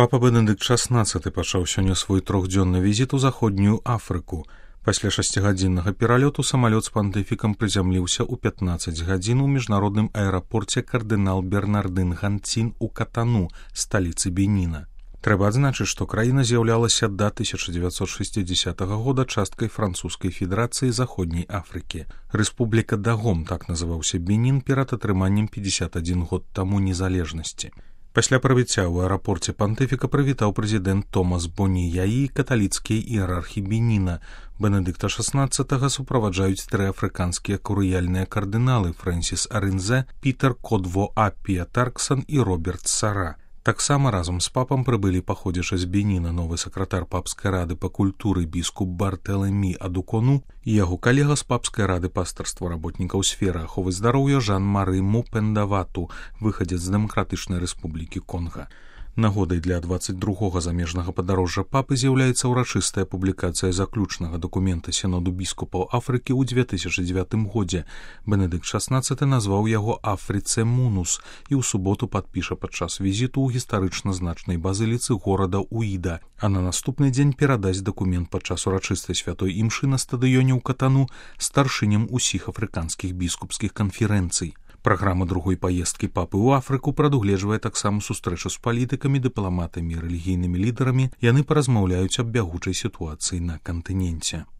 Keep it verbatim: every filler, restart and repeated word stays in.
Папа Бенедыкт шаснаццаты пачаў сёння свой трохдзённы візіт у заходнюю Афрыку. Пасля шасцігадзіннага пералёту самалёт з пантыфікам прызямліўся ў пятнаццаць гадзін у міжнародным аэрапорце кардынал Бернардын Ганцін у Катану, сталіцы Беніна. Трэба адзначыць, што краіна з'яўлялася да тысяча дзевяцьсот шэсцідзесятага года часткай французскай федэрацыі заходняй Афрыкі. Рэспубліка Дагом, так называўся Бенін перад атрыманнем пятьдесят адзін год таму незалежнасці. Пасля прыбыцця ў аэрапорце пантыфіка прывітаў прэзідэнт Томас Боні Яі каталіцкія іерархі Беніна. Бенедыкта шаснаццатага суправаджаюць тры афрыканскія курыяльныя кардыналы Фрэнсіс Арынзе, Пітер Кодво Аппія Тарксан і Роберт Сара. Таксама разам з папам прыбылі паходзячы з Беніна новы сакратар папскай рады па культуры біскуп Бартэлэмі Адукону і яго калега з папскай рады пастарства работнікаў сферы аховы здароўя Жан-Мары Мупендавату, выхадзец з Дэмакратычнай рэспублікі Конга. Нагодай для дваццаць другога замежнага падарожжа папы з'яўляецца ўрачыстая публікацыя заключнага дакумента Сіноду біскупаў Афрыкі ў дзве тысячы дзевятым годзе. Бенедыкт шаснаццаты назваў яго Афрыце Мунус і ў суботу падпіша падчас візіту ў гістарычна значнай базыліцы горада Уіда, а на наступны дзень перадасць дакумент падчас урачыстай святой імшы на стадыёне ў Катану старшыням усіх афрыканскіх біскупскіх канферэнцый. Праграма другой паездкі папы ў Афрыку прадугледжвае таксама сустрэчу з палітыкамі, дыпламатамі і рэлігійнымі лідарамі. Яны паразмаўляюць аб бягучай сітуацыі на кантыненце.